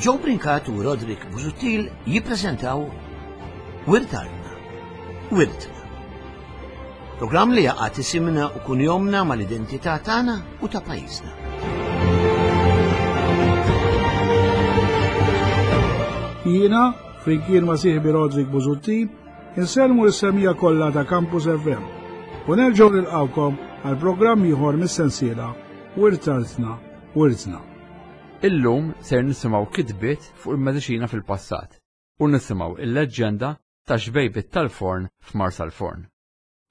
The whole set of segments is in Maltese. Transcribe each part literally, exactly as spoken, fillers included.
Joe Brincat u Roderick Busuttil jippreżentaw Wirt Artna, Wirtna. Programm li jaqgħad isimna u kunjomna mal-identità tagħna u ta' pajjiżna. Jiena, flimkien ma' sieħbi Roderick Busuttil, insellmu l-semmiegħa kollha ta' Campus F M u nerġgħu nilqawkom għal programm ieħor mis-sensiela Wirt Artna, Wirtna. Illum ser nisimgħu kitbiet fuq il-mediċina fil-passat u nisimgħu il-leġġenda ta' xbejbit tal-forn f'Marsalforn.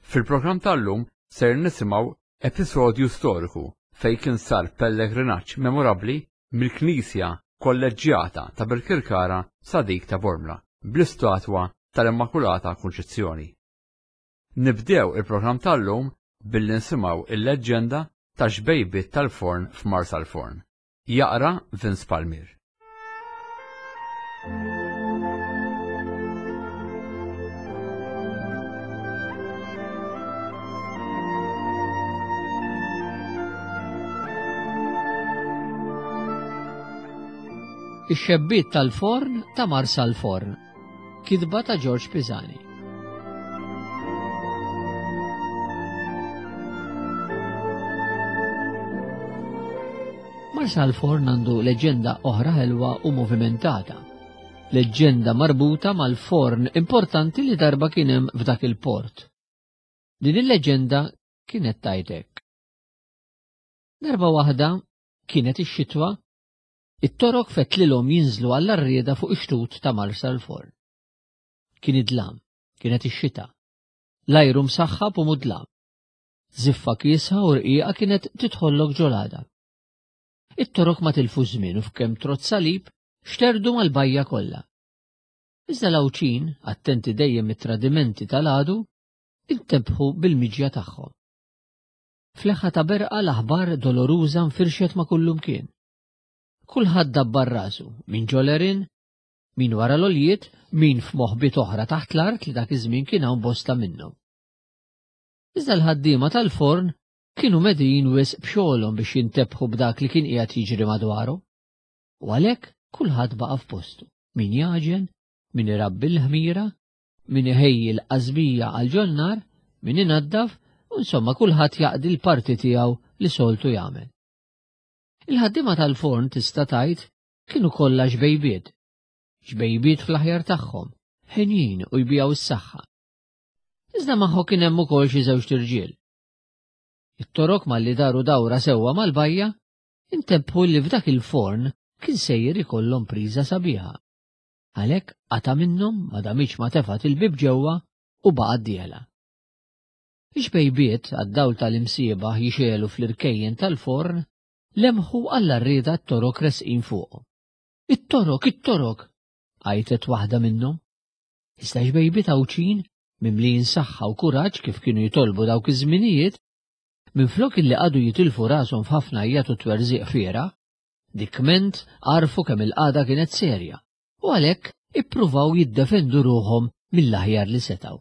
Fil-programm tal-lum ser nisimgħu episodju storiku fejn kien sar pellegrinaġġ memorabbli mill-Knisja Kolleġġjata ta' Birkirkara sa dik ta' Bormla bl-istatwa tal-Immakulata Kunċizzjoni. Nibdew il-programm tal-lum billi nisimgħu il-leġġenda ta' xbejbit tal-forn f'Marsalforn. Jaqra Vince Palmier. Ix-xebbiet tal-forn ta' Marsalforn. Kitba ta' George Pisani. Marsalforn għandu leġenda oħra ħelwa u movimentata. Leġenda marbuta mal-forn importanti li darba kien hemm f'dak il-port. Din il-leġenda kienet tajtek. Darba waħda kienet ix-xitwa, it-torok fetlilhom jinżlu għall-arrieda fuq ix-xtut ta' Marsalforn. Kien id-dlam, kienet ix-xita. L-ajru msaħħab u mudlam. Ziffa kiesħa u rqiqa kienet titħollok ġolada. It-torok ma tilfu żmien u f'kemm trott salib xterdu mal-bajja kollha. Iżda l-Għawdxin, attenti dejjem mit-tradimenti tal-għadu, intebħu bil-miġja tagħhom. Fleħħa ta' berqa l-aħbar doloruża nfirxet ma' kullumkien. Kulħadd dabbar rasu, min ġolerin, min wara l-oljiet, min f'moħbiet oħra taħt l-art li dak iż-żmien kien hawn bosta minnhom. Iżda l-ħaddiema tal-forn kienu medijin wisq b'xogħolhom biex jintebħu b'dak li kien qiegħed jiġri madwarhom. U għalhekk kulħadd baqa' f'postu, min jaġen, min irabbi l-ħmira, min iħejji l-qasbija għal ġonnar, min inaddaf, u insomma kulħadd jaqdi l-parti tiegħu li soltu jagħmel. Il-ħaddiema tal-forn tista' tgħid kienu kollha xbejbiet. Xbejbiet fl-aħjar tagħhom, ħenjin u jbijaw is-saħħa. Iżda magħhom kien hemm ukoll xi żewġ irġiel. It-torok malli daru dawra sewwa mal-bajja, intebħu li f'dak il-forn kien sejjer ikollhom priża sabiħa. Għalhekk qata' minnhom ma damitx ma tefgħet il-bib ġewwa u baqgħet dieħla. Ix-xbejbiet għad-dawl tal-imsiebaħ jixegħlu fl-irkejjen tal-forn lemħu għall-arrieda t-torok resqin fuqhom. It-torok, it-torok! Għajtet waħda minnhom. Iżda xbejbiet Għawdxin, mimlijin saħħa u kuraġġ kif kienu jitolbu dawk iż-żminijiet, minflok illi qagħdu jitilfu rashom f'ħafna għajjat u twerżiq fiera, dikment għarfu kemm il-qagħda kienet serja u għalhekk ippruvaw jiddefendu ruħhom mill-aħjar li setgħu.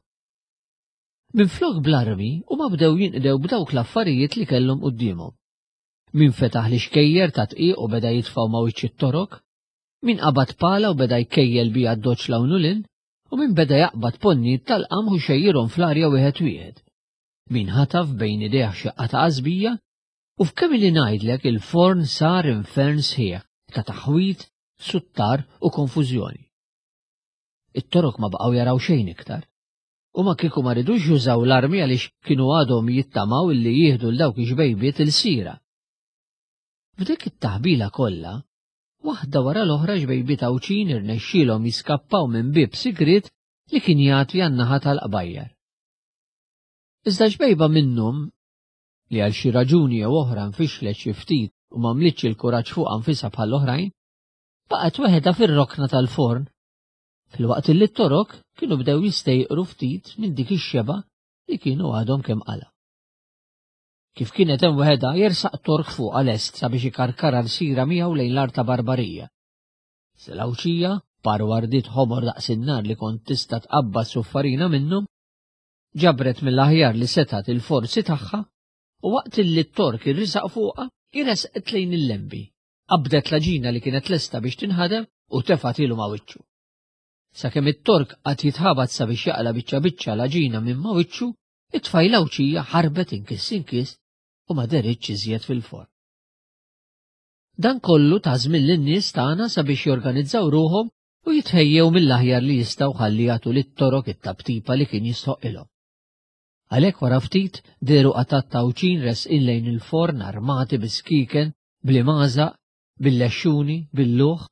Minflok bl-armi huma bdew jinqdew b'dawk l-affarijiet li kellhom quddiemhom. Min fetaħ l-ixkejjer ta' tqiq u beda jitfgħu ma' wiċċ it-torok, min qabad pala u beda jkejjel biha d-doċ l-hawn u lin, u min beda jaqbad ponnijiet tal-qamħ u xejjirhom fl-arja wieħed wieħed. Min ħataf bejn idejh xi qata' qasbija, u f'kemm li ngħidlek il-forn sar infern sħiħ ta' taħwit, suttar u konfużjoni. It-torok ma baqgħu jaraw xejn iktar. U ma kieku ma ridux jużaw l-armi għaliex kienu għadhom jittamaw illi jieħdu l dawk ix-xbejbiet il-sira. F'dik it-taħbila kollha, waħda wara l-oħra xbejbiet Għawdxin irnexxielhom jiskappaw minn bieb sigriet li kien jagħti għan-naħa tal-qbajjar. Iżda xbejba minnhom, li għal xi raġuni jew oħra nfixlet xi ftit u m'għamlitx il-kuraġġ fuq anfisha bħall-oħrajn, baqgħet weħedha fir-rokna tal-forn, filwaqt li t-torok kienu bdew jistejqru ftit minn dik ix-xeba li kienu għadhom kemm qala. Kif kienet hemm weħedha jersaq tork fuqha lest sabiex ikarkara l-sira miegħu lejn l-art ta' Barbarija. L-Għawdxija, par wardiet ħomor daqs in-nar li kont tista' tqabbad suffarina minnhom, ġabret mill-aħjar li setgħet il-forzi tagħha u waqt li t-tork irrisaq fuqha, iresqet lejn il-lembi, qabdet l-għaġina li kienet lesta biex tinħadem u tefgħetilu ma' wiċċu. Sakemm it-Tork qagħad jitħabat sabiex jaqla' biċċa biċċa l-għaġina minn ma' wiċċu, it-tfajla Għawdxija ħarbet inkiss inkiss u ma deritx iżjed fil-forn. Dan kollu ta żmien lin-nies tagħna sabiex jorganizzaw ruħhom u jitħejjew mill-aħjar li jistgħu ħalli jagħtu lit-Torok it-taptipa li kien jistħoqilhom. Għalhekk wara ftit dehru qatat ta' Għawdxin resqin lejn il-forn armati bi skiken, bl-imgħażaq, bil-lexxuni, bil-luħ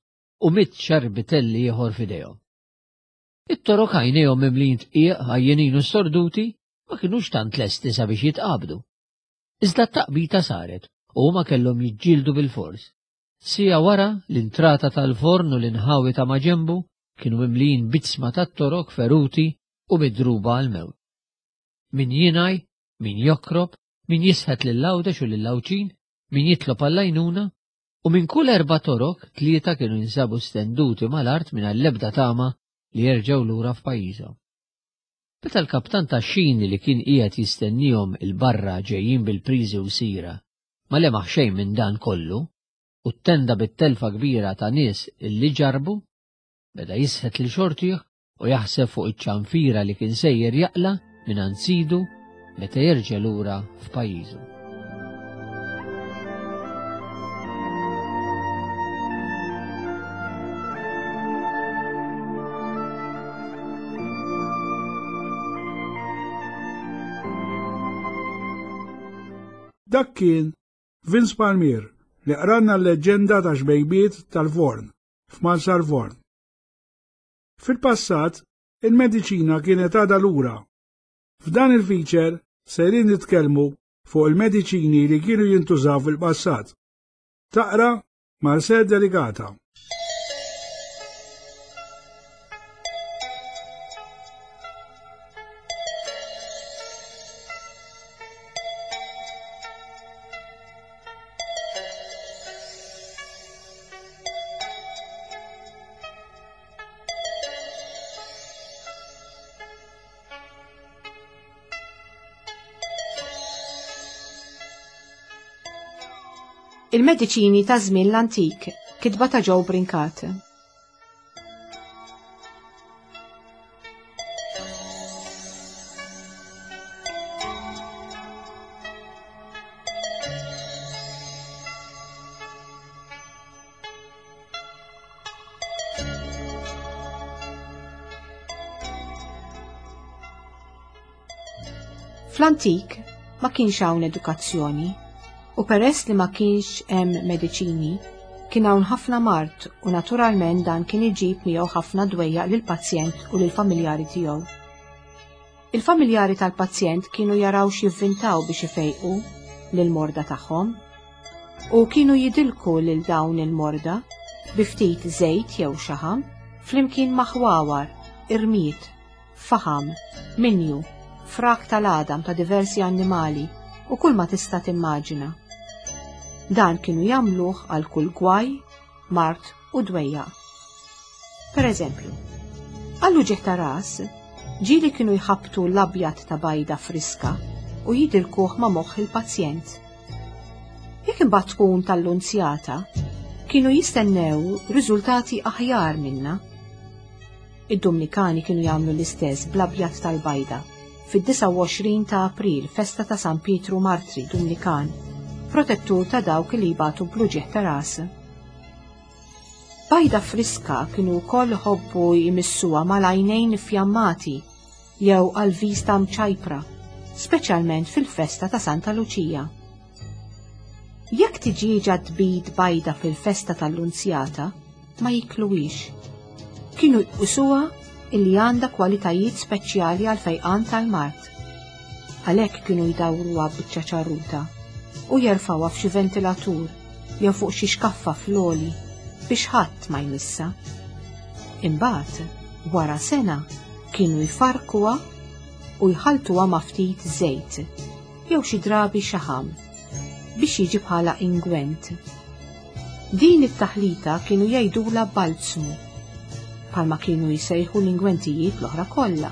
u mitt xarbitelli ieħor f'idejhom. It-Torok għajnejhom mimlijin dqiq, għajjenin u storduti, ma kinux tant lesti sabiex jitqabdu. Iżda t-taqbita saret u huma kellhom jiġġieldu bil-fors. Siegħa wara l-intrata tal-forn u l-inħawi ta' maġenbu kienu mimlijin b'iġsma tat-Torok feruti u midruba għal-mewt. Min jingħi, min jokrob, min jisħet lil Għawdex u lill-Għawdxin, min jitlob għall-għajnuna, u minn kull erba' Torok tlieta kienu jinsabu stenduti mal-art mingħajr l-ebda tama li jerġgħu lura f'pajjiżhom. Meta l-kaptan tax-xini li kien qiegħed jistennihom il-barra ġejjin bil-priżi u sira, ma lemaħ xejn minn dan kollu, u ttenda bit-telfa kbira ta' nies illi ġarbu, beda jisħet lil xortih u jaħseb fuq iċ-ċanfira li kien sejjer jaqla' minn sidu meta jerġa' lura f'pajjiżu. Dak kien Vince Palmier li qralna l-leġġenda ta' xbejbiet tal-forn f'Marsalforn. Fil-passat, il-mediċina kienet għadha lura. F'dan il-feature sejrin nitkellmu fuq il-mediċini li kienu jintużaw fil-passat. Taqra Marcel Delicata. Il-mediċini ta' żmien l-antik, kitba ta' Joe Brincat. Fl-antik ma kienx hawn edukazzjoni. U peress li ma kienx hemm mediċini, kien hawn ħafna mard u naturalment dan kien iġib miegħu ħafna dwejjaq lill-pazjent u lill-familjari tiegħu. Il-familjari tal-pazjent kienu jaraw x'jivvintaw biex ifejqu lill-morda tagħhom u kienu jidilku lil dawn il-morda bi ftit żejt jew xaħam flimkien ma' ħwawar, irmied, faħam, minju, frak tal-għadam ta' diversi annimali u kull ma tista' timmaġina. Dan kienu jagħmluh għal kull gwaj, mard u dwejjaq. Per eżempju, għal uġigħ ta' ras, ġieli kienu jħabbtu l-abjad ta' bajda friska u jidilkuh ma' moħħ il-pazjent. Jekk imbagħad tkun tal-lunzjata, kienu jistennew riżultati aħjar minna. Id-Dominikani kienu jagħmlu l-istess bl-abjad tal-bajda fid-disgħa u għoxrin ta' April, festa ta' San Pietru Martri Dominikan, protettur ta' dawk li jbatu bl-uġigħ ta' ras. Bajda friska kienu wkoll iħobbu jmissuha mal-għajnejn infjammati jew għal vista mċajpra, speċjalment fil-festa ta' Santa Luċija. Jekk tiġieġa tbid bajda fil-festa tal-Lunzjata, ma jikluwix. Kienu jqisuha illi għandha kwalitajiet speċjali għal fejqan tal-mard. Għalhekk kienu jdawruha biċċa ċarruta u jerfgħuha f'xi ventilatur jew fuq xi xkaffa fl-għoli biex ħadd ma jmissha. Imbagħad, wara sena, kienu jfarkuha u jħaltuha ma' ftit żejt jew xi drabi xaħam biex jiġi bħala ingwent. Din it-taħlita kienu jgħidulha balzmu, bħalma kienu jsejħu l-ingwentijiet l-oħra kollha.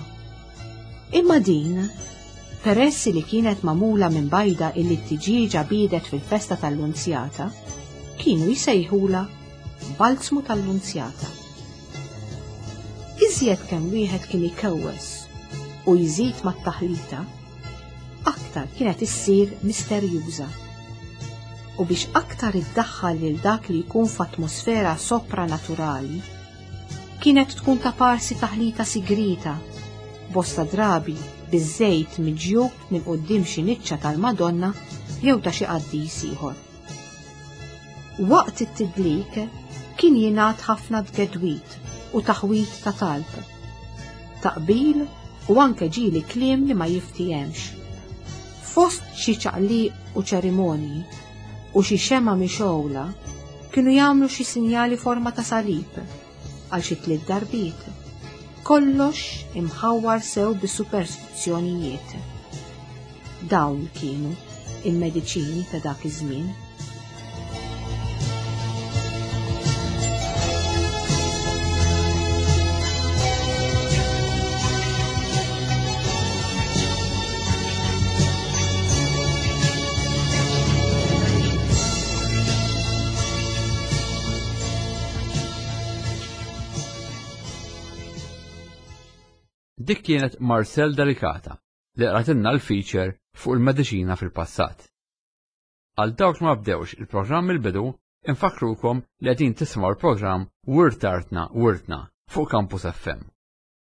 Imma din, peress li kienet magħmula minn bajda illi t-tiġieġa biedet fil-festa tal-Lunzjata, kienu jsejħulha balzmu tal-Lunzjata. Iżjed kemm wieħed kien ikewwes u jżid mat-taħlita, aktar kienet issir misterjuża. U biex aktar iddaħħal lil dak li jkun f'atmosfera sopranaturali, kienet tkun ta' parsi taħlita sigrita, bosta drabi biż-żejt miġjub minn quddiem xi niċċa tal-Madonna jew ta' xi qaddis ieħor. Waqt it-tidlik kien jingħad ħafna tgedwit u taħwit ta' talb, taqbil u anke ġieli kliem li ma jiftihemx. Fost xi ċaqliq u ċerimonji u xi xema mixgħula kienu jagħmlu xi sinjali forma ta' salib għal xi tliet darbiet. Kollox imħawwar sew bis-superstizzjonijiet. Dawn kienu il-mediċini ta' dak iż-żmien. Dik kienet Marcel Delicata li qratilna l-feature fuq il-mediċina fil-passat. Għal dawk ma bdewx il-programm il-bidu, infakkrukom li qegħdin tisimgħu l-programm Wirt Artna Wirtna fuq Campus F M.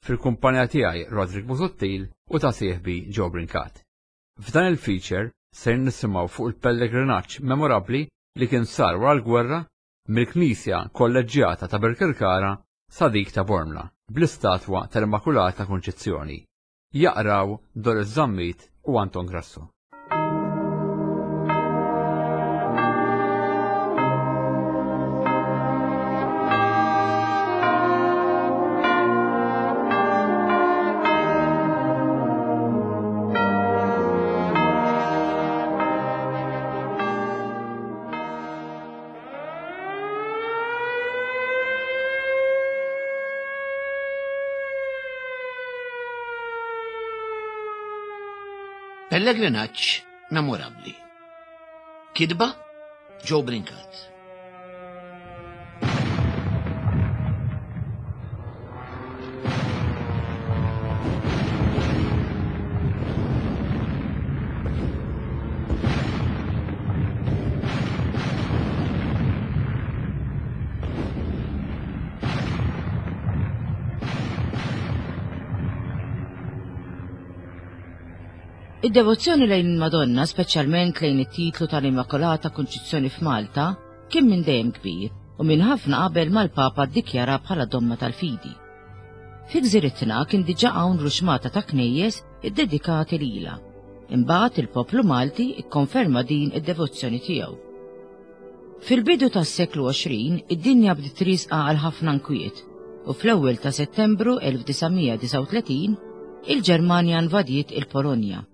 Fil-kumpanija tiegħi Roderick Busuttil u ta' sieħbi Joe Brincat. F'dan il-feature ser nisimgħu fuq il-pellegrinaġġ memorabbli li kien sar wara l-gwerra mill-Knisja Kolleġġjata ta' Birkirkara sa dik ta' Bormla bl-istatwa tal-Immakulata Kunċizzjoni. Jaqraw Doris Zammit u Anton Grasso. Pellegrinaġġ memorabbli. Kidba Joe Brincat. Id-devozzjoni lejn il-Madonna, speċjalment lejn it-titlu tal-Immakulata Kunċizzjoni f'Malta, kien minn dejjem kbir u minn ħafna qabel mal-Papa ddikjara bħala domma tal-fidi. Fi gżiritna kien diġà hawn ruxmata ta' knejjes iddedikati lilha. Imbagħad il-poplu Malti ikkonferma din id-devozzjoni tiegħu. Fil-bidu tas-seklu għoxrin, id-dinja bdiet trisqa għal ħafna nkwiet u fl-ewwel ta' Settembru elf disa' mija disgħa u tletin il-Ġermanja invadiet il-Polonja.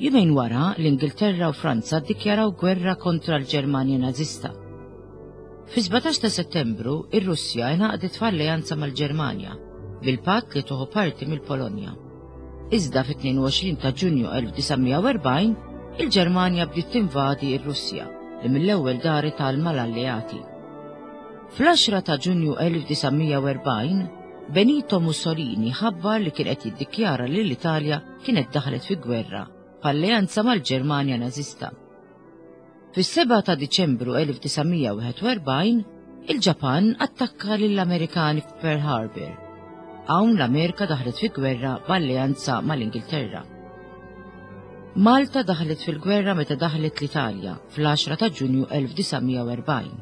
Jumejn wara, l-Ingilterra u Franza ddikjaraw gwerra kontra l-Ġermanja Nażista. Fi sbatax ta' Settembru, ir-Russja ingħaqdet f'alleanza mal-Ġermanja bil-patt li tieħu parti mill-Polonja. Iżda fit-tnejn u għoxrin ta' Ġunju elf disa' mija u erbgħin, il-Ġermanja bdiet tinvadi r-Russja li mill-ewwel daret għal mal-alleati. Fl-għaxra ta' Ġunju elf disa' mija u erbgħin, Benito Mussolini ħabbar li kien qed jiddikjara li l-Italja kienet daħlet fi gwerra f'alleanza mal-Ġermanja Nażista. Fis-sebgħa ta' Diċembru elf disa' mija wieħed u erbgħin, il-Ġapan attakka lill-Amerikani f'Pearl Harbor. Hawn l-Amerika daħlet fi gwerra b'alleanza mal-Ingilterra. Malta daħlet fil-gwerra meta daħlet l-Italja fl-għaxra ta' Ġunju elf disa' mija u erbgħin.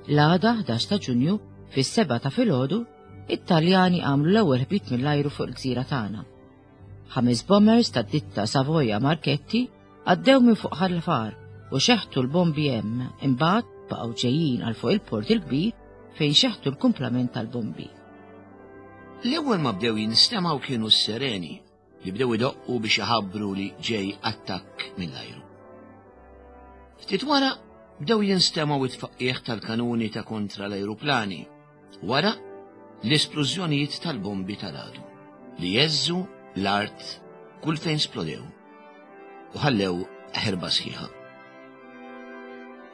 L-għada ħdax ta' Ġunju, fis-sebgħa ta' filgħodu, it-Taljani għamlu l-ewwel ħbit mill-ajru fuq il-gżira tagħna. Ħames bombers tad-ditta Savoia Marchetti għaddew minn fuq Ħal Far u xeħtu l-bombi hemm, imbagħad baqgħu ġejjin għal fuq il-port il-kbir fejn xeħtu l-kumplament tal-bombi. L-ewwel ma bdew jinstemgħu kienu s-sereni li bdew idoqqu biex iħabbru li ġej attakk mill-ajru. Ftit wara bdew jinstemgħu it-tfaqqieħ tal-kanuni ta' kontra l-ajruplani, wara l-esplużjonijiet tal-bombi tal-għadu li jeżżu l-art kull fejn splodew u ħallew ħerba sħiħa.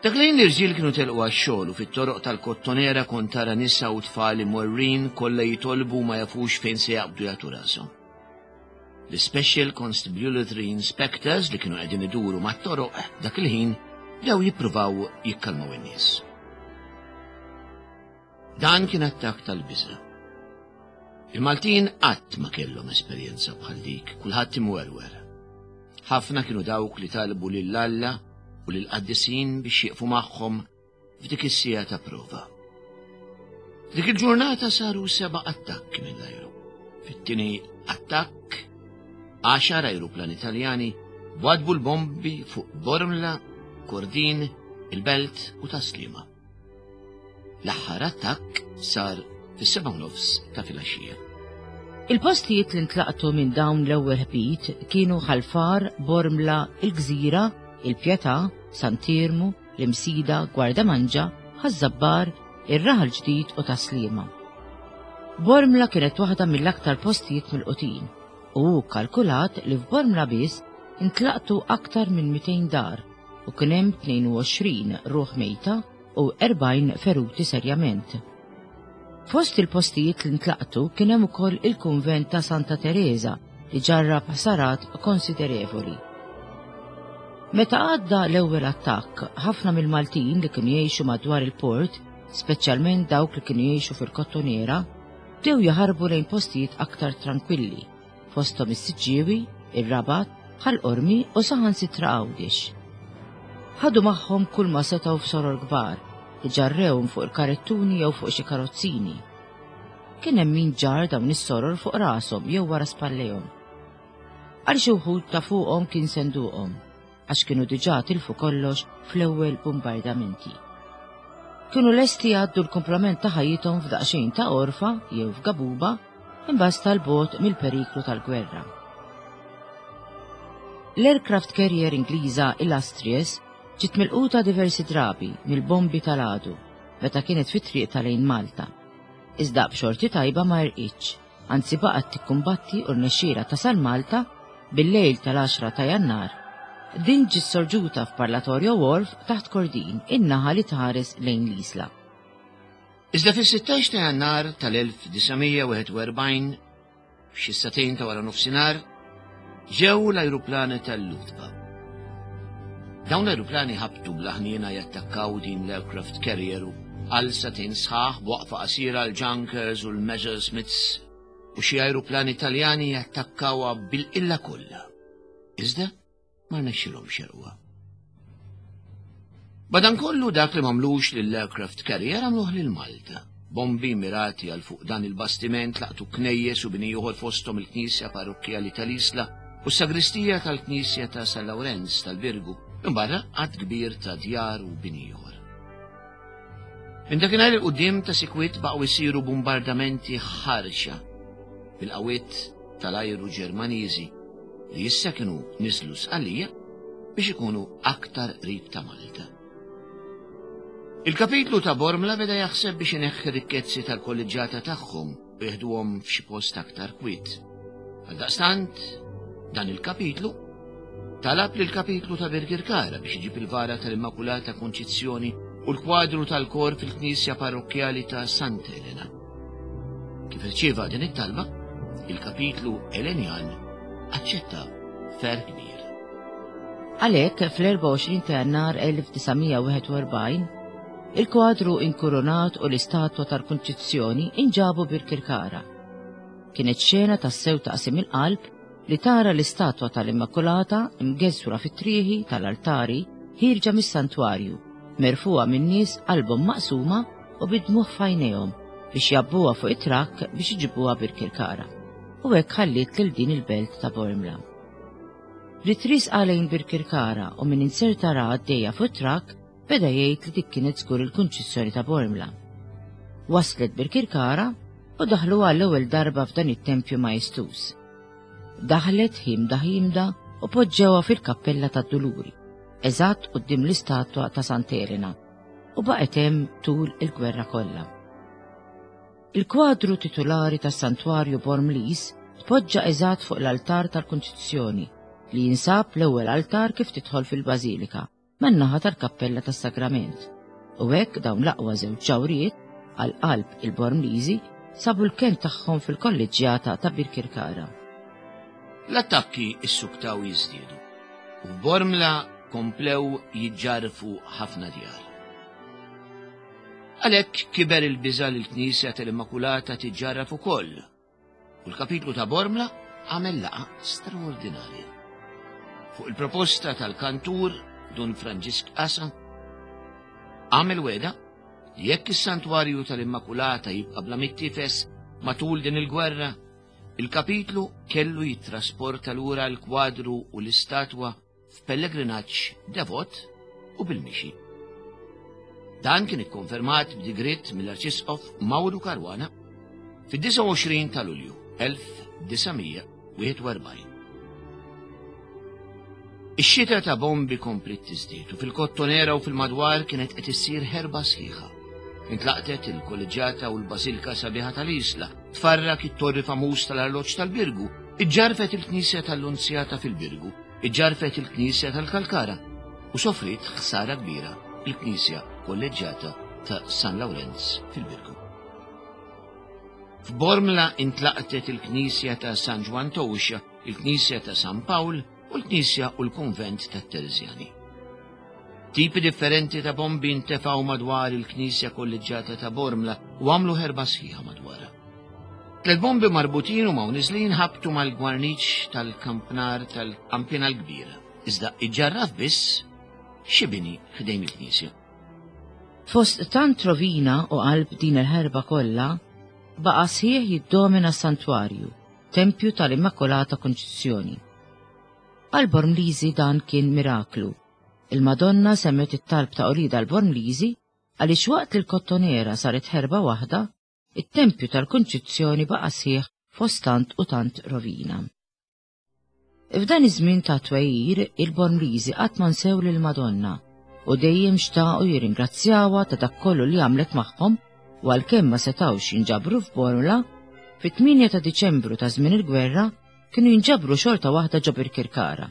Dak lejn l-irġiel kienu telqu għax-xogħol u fit-toroq tal-Kottonera kont tara nisa u tfal imwerwrin kollha jitolbu ma jafux fejn se jaqbdu jagħtu rashom. L-Special Constabulary Inspectors li kienu qegħdin iduru mat-toroq dak il-ħin bdew jippruvaw jikkalmaw in-nies. Dan kien attakk tal-biża'. Il-Maltin qatt ma kellhom esperjenza bħal dik, kulħadd imwerwer. Ħafna kienu dawk li talbu lil Alla u lill-qaddisin biex jieqfu magħhom f'dik is-siegħa ta' prova. Dik il-ġurnata saru seba' attakki mill-ajru. Fit-tieni attakk, għaxar ajruplani Taljani wadbu l-bombi fuq Bormla, Kordin, il-Belt u Tas-Sliema. L-aħħar attakk sar fis-seba' nofs ta' filgħaxija. Il-postijiet li ntlaqtu minn dawn l-ewwel ħbit kienu Ħal Far, Bormla, il-Gżira, il-Pietà, Sant'Iermu, l-Imsida, Gwardamanġa, Ħaż-Żabbar, ir-Raħal Ġdid u Tas-Sliema. Bormla kienet waħda mill-aktar postijiet milqutin u hu kalkulat li f'Bormla biss intlaqtu aktar minn mitejn dar u kien hemm tnejn u għoxrin ruħ mejta u erbgħin feruti serjament. Fost il-postijiet li ntlaqtu kien hemm ukoll il-kunvent ta' Santa Teresa li ġarrab ħsarat konsiderevoli. Meta għadda l-ewwel attakk, ħafna mill-Maltin li kienu jgħixu madwar il-port, speċjalment dawk li kienu jgħixu fil-Kottonera, bdew jaħarbu lejn postijiet aktar tranquilli, fosthom is-Siġġiewi, ir-Rabat, Ħal Qormi u saħansitra Għawdex. Ħadu magħhom kull ma setgħu f'soror kbar, li ġarrewhom fuq il-karettuni jew fuq xi karozzini. Kien hemm min ġar dawn is-soror fuq rashom jew wara spallejhom. Għal xi wħud ta' fuqhom kien senduqhom, għax kienu diġà tilfu kollox fl-ewwel bombardamenti. Kienu lesti jgħaddu l-kumplament ta' ħajjithom f'daqsxejn ta' orfa jew f'gabuba imbagħad tal-bogħod mill-periklu tal-gwerra. L-aircraft carrier Ingliża Illustrious ġiet milquta diversi drabi mill-bombi tal-għadu meta kienet fit-triq ta' lejn Malta. Iżda b'xorti tajba ma rqitx, anzi baqgħet tikkumbatti u rnexxielha tasal Malta bil-lejl tal-għaxra ta' Jannar. Din ġiet sorġuta f'Parlatorio Wharf taħt Kordin, in-naħa li tħares lejn l-Isla. Iżda fis-sittax ta' Jannar tal-elf disa' mija wieħed u erbgħin, f'xi sagħtejn ta' wara nofsinhar, ġew l-ajruplani tal-Luftwaffe. Dawn l-ajruplani ħabtu bla ħniena jattakkaw din l-aircraft carrier u għal sagħtejn sħaħ b'waqfa qasira l-Junkers u l-Messerschmitts u xi ajruplani Taljani jattakkawha bil-qilla kollha. Iżda ma rnexxilhomx jerquha. Madankollu dak li m'għamlux lill-aircraft carrier għamluh lil Malta. Bombi mirati għal fuq dan il-bastiment laqtu knejjes u bini ieħor fosthom il-Knisja Parrokkjali tal-Isla u s-sagristija tal-Knisja ta' San Lawrenz tal-Birgu, minbarra għadd kbir ta' djar u bini ieħor. Minn dakinhar il quddiem ta' sikwit baqgħu jsiru bombardamenti ħarxa bil-qawwiet tal-ajru Ġermaniżi li issa kienu niżlu Sqallija biex ikunu aktar qrib ta' Malta. Il-kapitlu ta' Bormla beda jaħseb biex ineħħi rikkezzi tal-kolleġġjata tagħhom u jeħduhom f'xi post aktar kwiet. Għaldaqstant, dan il-kapitlu talab lil kapitlu ta' Birkirkara biex iġib il-vara tal-Immakulata Konċizzjoni u l-kwadru tal-kor fil-Knisja Parrokkjali ta' Santa Elena. Kif irċieva din it-talba, il-kapitlu Elenjan aċċetta ferħ kbir. Għalhekk fl-erbgħa u għoxrin ta' Jannar elf disa' mija wieħed u erbgħin, il-kwadru inkurunat u l-istatwa tal-Kunċizzjoni inġabu Birkirkara. Kienet xena tassew taqsim il-qalb li tara l-istatwa tal-Immakulata imgeżwra fit-trieħi tal-altari ħierġa mis-santwarju, merfuha minn nies qalbhom maqsuma u bid-dmugħ f'għajnejhom biex jabbuha fuq it-trakk biex iġibuha Birkirkara. U hekk ħalliet lil din il-belt ta' Bormla. Bdiet risqa lejn Birkirkara u min inserta ra għaddejja fuq it-trakk beda jgħid li dik kienet żgur il-Kunċizzjoni ta' Bormla. Waslet Birkirkara u daħluha l-ewwel darba f'dan it-tempju majestuż. Daħlet ħimda ħimda u poġġewha fil-kappella tad-Duluri, eżatt quddiem l-istatwa ta' Santa Elena, u baqgħet hemm tul il-gwerra kollha. Il-kwadru titulari tas-Santwarju Bormlis tpoġġa eżatt fuq l-altar tal-Kunċizzjoni li jinsab l-ewwel altar kif tidħol fil-Bażilika, man-naħa tal-Kappella tas-Sagrament. U hekk dawn l-aqwa żewġ ġawriet għal qalb il-Bormliżi sabu l-kenn tagħhom fil-kolleġġjata ta' Birkirkara. L-attakki issuktaw jiżdiedu u f'Bormla komplew jiġġarfu ħafna djar. Għalhekk kiber il-biża' li l-Knisja tal-Immakulata tiġġarraf ukoll u l-kapitlu ta' Bormla għamel laqgħa straordinarja. Fuq il-proposta tal-kantur Dun Franġisk Asa, għamel wegħda li jekk is-santwarju tal-Immakulata jibqa' bla mittifes matul din il-gwerra, il-kapitlu kellu jittrasporta lura l-kwadru u l-istatwa f'pellegrinaġġ devot u bil-mixi. Dan kien ikkonfermat b'digriet mill-Arċisqof Mauro Caruana fid-disgħa u għoxrin ta' Lulju elf disa' mija wieħed u erbgħin. Ix-xita ta' bombi kompliet tiżdied u fil-Kottonera u fil-madwar kienet qed issir ħerba sħiħa. Intlaqtet il-kolleġġjata u l-Basilika Sabiħa tal-Isla, tfarrak it-torri famuż tal-arloġġ tal-Birgu, iġġarfet il-Knisja tal-Lunzjata fil-Birgu, iġġarfet il-Knisja tal-Kalkara u sofriet ħsara kbira il-Knisja Kolleġġjata ta' San Lawrenz fil-Birgu. F'Bormla intlaqtet il-Knisja ta' San Ġwann Towxa, il-Knisja ta' San Pawl u l-Knisja u l-Kunvent tat-Terżjani. Tipi differenti ta' bombi ntefgħu madwar il-Knisja Kolleġġjata ta' Bormla u għamlu ħerba sħiħa madwarha. Tliet bombi marbutin u ma' niżlin ħabtu mal-gwarniċ tal-kampnar tal-Kampina l-Kbira, iżda iġġarraf biss xi bini ħdejn il-Knisja. Fost tant rovina u qalb din il-ħerba kollha, baqa' sħiħ jiddomina s-santwarju, tempju tal-Immakolata Konċizzjoni. Għal Bormliżi dan kien miraklu. Il-Madonna semmet it-talb ta' Olida l-Bormliżi għaliex waqt li l-Kottonera saret ħerba waħda, it-tempju tal-Konċizzjoni baqa' sħiħ fost tant u tant rovina. F'dan iż-żmien ta' twejjir, il-Bormliżi qatt ma nsew lill-Madonna u dejjem xtaqu jirringrazzjawha ta' dak kollu li għamlet magħhom u għalkemm ma setgħux jinġabru f'Bormla, fit-tmienja ta' Diċembru ta' żmien il-gwerra kienu jinġabru xorta waħda ġo Birkirkara,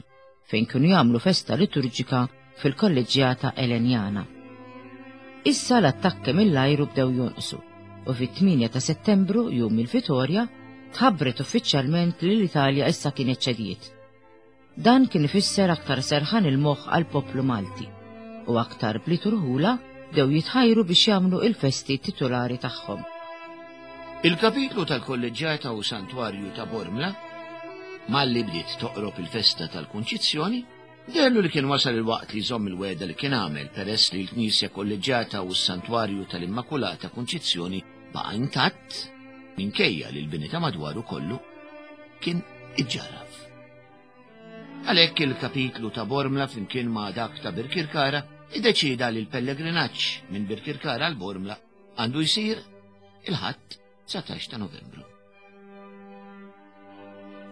fejn kienu jagħmlu festa liturġika fil-kolleġġjata Elenjana. Issa l-attakki mill-ajru bdew jonqsu u fit-tmienja ta' Settembru, jum il-Vitorja, tħabbret uffiċjalment li l-Italja issa kienet ċediet. Dan kien ifisser aktar serħan il-moħħ għall-poplu Malti u aktar bliet u rħula bdew jitħajru biex jagħmlu il-festi titolari tagħhom. Il-kapitlu tal-Kolleġġjata u Santwarju ta' Bormla, malli bdiet toqrob il-festa tal-Kunċizzjoni, dellu li kien wasal il-waqt li jżomm il-wegħda li kien għamel peress li l-Knisja Kolleġġjata u s-Santwarju tal-Immakulata Kunċizzjoni baqa' intatt minkejja li l-bini ta' madwaru kollu kien iġġarraf. Għalhekk il-kapitlu ta' Bormla flimkien ma' dak ta' Birkirkara iddeċida li l-pellegrinaġġ minn Birkirkara għal Bormla għandu jsir il-Ħadd dsatax ta' Novembru.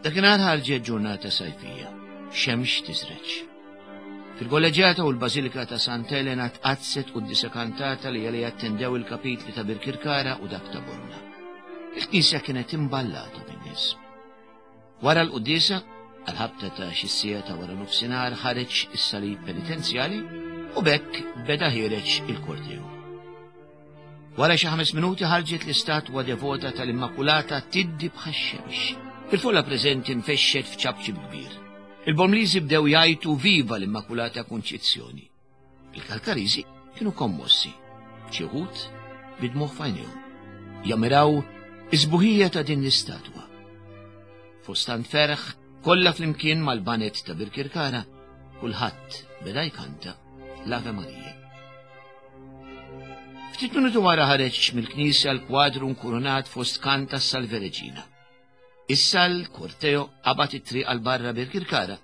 Dakinhar ħarġet ġurnata sajfija, xemx tiżreġ. Fil-kolleġġjata u l-Bażilika ta' Sant Elena tqaddset quddiesa kantata li għalija attendew il-kapitli ta' Birkirkara u dak ta' Bormla. Il-knisja kienet imballata bin-nies. Wara l-quddiesa, għal-ħabta ta' xi siegħa ta' wara nofsinhar ħareġ is-salib penitenzjali u b'hekk beda ħiereġ il-korteo. Wara xi ħames minuti ħarġet l-istatwa devota tal-Immakulata tiddi bħax-xemx. Il-folla preżenti nfexxet f'ċapċip kbir. Il-Bormliżi bdew jgħajtu viva l-Immakulata Kunċizzjoni. Il-Kalkariżi kienu kommossi, xi wħud bidmuh f'għajnejhom. Jammiraw is-sbuħija ta' din l-istatwa. Fost tant ferħ, kollha flimkien mal-banet ta' Birkirkara, kulħadd beda jkanta l-Ave Maria. Ftit minuti wara ħareġ mill-knisja l-kwadru nkurunat fost kanta Salve Regina. Issa l-korteo qabad it-triq għal barra Birkirkara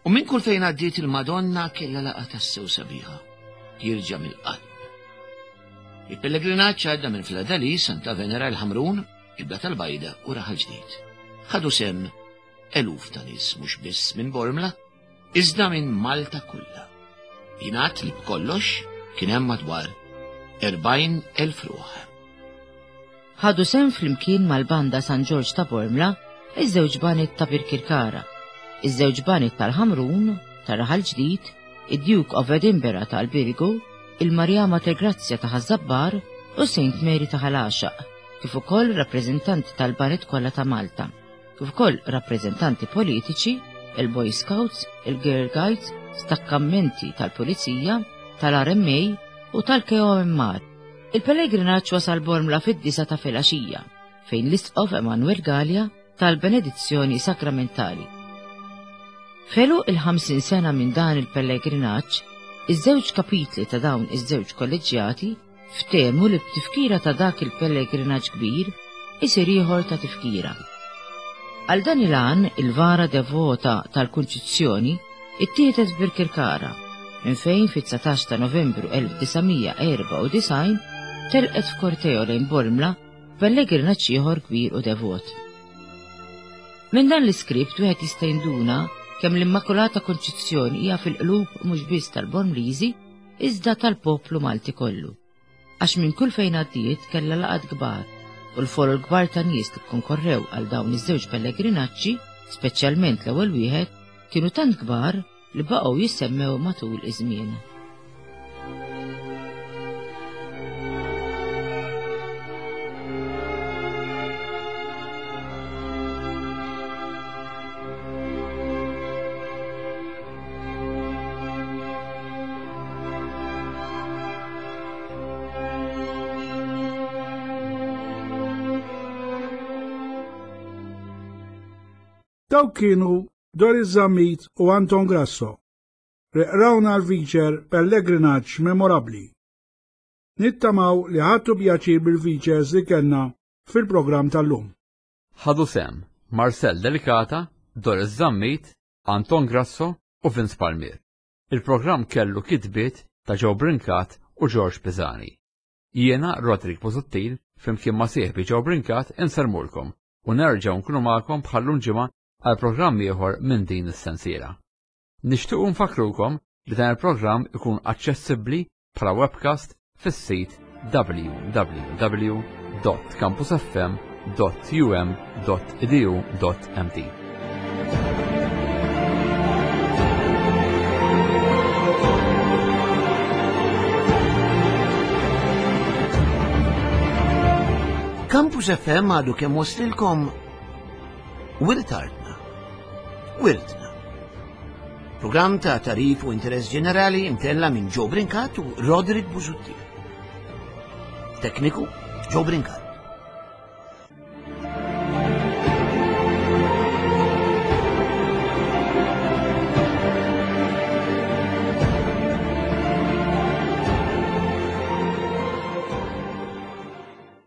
u minn kull fejn għaddiet il-Madonna kellha laqgħa tassew sabiħa, jirġa' mill-qalb. Il-pellegrinaġġ għadda minn Fladali, Santa Venera, il-Ħamrun, il-Blat tal-Bajda u Raħal Ġdid. Ħadu sem eluf ta' nies mhux biss minn Bormla, iżda minn Malta kollha. Jingħad li b'kollox kien hemm madwar erbgħin elf ruħ. Ħadu sem flimkien mal-banda San Ġorġ ta' Bormla, iż-żewġ banit ta' Birkirkara, iż-żewġ banit tal-Ħamrun, ta' Raħal Ġdid, id-Duke of Edinburgh tal-Birgu, il-Marja Mater Grazzja ta' Ħaż-Żabbar u Saint Mary ta' Ħal Għaxaq, kif ukoll rappreżentanti tal-baned kollha ta' Malta, kif ukoll rappreżentanti politiċi, il-Boy Scouts, il-Girl Guides, stakkammenti tal-Pulizija, tal-R M A u tal-K O M R. Il-pellegrinaġġ wasal Bormla fid-disa ta' filgħaxija, fejn l-Isqof Emanuel Galea tal-benedizzjoni sakramentali. Felu il-ħamsin sena minn dan il-pellegrinaġġ, iż-żewġ kapitli ta' dawn iż-żewġ kolleġġjati ftehmu li b'tifkira ta' dak il-pellegrinaġġ kbir isir ieħor ta' tifkira. Għal dan il-għan, il-vara devota tal-Kunċizzjoni ittieħdet f'Birkirkara, minn fejn fit-dsatax ta' Novembru elf disa' erba' u disgħin telqet f'korteo lejn Bormla pellegrinaġġ ieħor kbir u devot. Minn dan l-iskript wieħed jista' jinduna kemm l-Immakulata Konċizzjoni hija fil-qlub mhux biss tal-Bormliżi iżda tal-poplu Malti kollu. Għax minn kull fejn għaddiet kellha laqgħat kbar u l-folol kbar ta' nies li kkonkorrew għal dawn iż-żewġ pellegrinaġġi, speċjalment l-ewwel wieħed, kienu tant kbar li baqgħu jissemmew matul iż-żmien. Dawk kienu Doris Zammit u Anton Grasso. Reqrawna l-feature Pellegrinaġġ Memorabbli. Nittamaw li ħadtu pjaċir bil-features li kellna fil-programm tal-lum. Ħadu sem Marcel Delicata, Doris Zammit, Anton Grasso u Vince Palmier. Il-programm kellu kitbiet ta' Joe Brincat u George Pisani. Jiena Roderick Busuttil flimkien ma' sieħbi Joe Brincat insermulkom u nerġgħu nkunu magħkom bħallum ġimgħa għal programm ieħor minn din is-sensiela. Nixtiequ nfakrukom li dan il-programm ikun aċċessibbli bħala webcast fis-sit w w w dot campus f m dot u m dot e d u dot m t. Campus F M għadu kemm waslilkom Wirt Artna. Wirtna. Programm ta' tarif u interess ġenerali imtella minn Joe Brincat u Roderick Busuttil. Tekniku Joe Brincat.